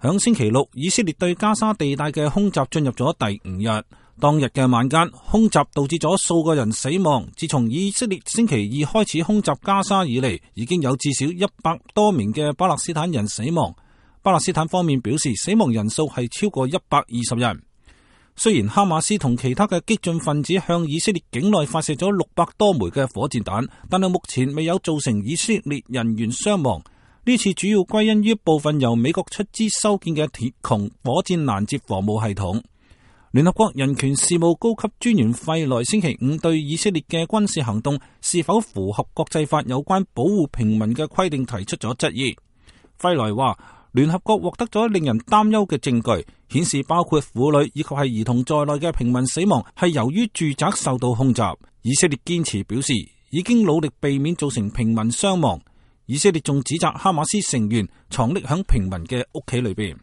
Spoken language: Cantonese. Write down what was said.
響星期六，以色列對加沙地帶嘅空襲進入咗第5日。當日嘅晚間，空襲導致咗數個人死亡。自從以色列星期二開始空襲加沙以嚟，已經有至少100多名嘅巴勒斯坦人死亡。巴勒斯坦方面表示，死亡人數係超過120人。雖然哈馬斯同其他嘅激進分子向以色列境內發射咗600多枚嘅火箭彈，但係目前未有造成以色列人員傷亡。呢次主要歸因於部分由美國出資修建嘅鐵穹火箭攔截防務系統。聯合國人權事務高級專員費萊星期5對以色列嘅軍事行動是否符合國際法有關保護平民嘅規定提出咗質疑。費萊話，聯合國獲得咗令人擔憂嘅證據，顯示包括婦女以及係兒童在內嘅平民死亡係由於住宅受到空襲。以色列堅持表示已經努力避免造成平民傷亡。以色列仲指責哈馬斯成員藏匿響平民嘅屋企裏邊。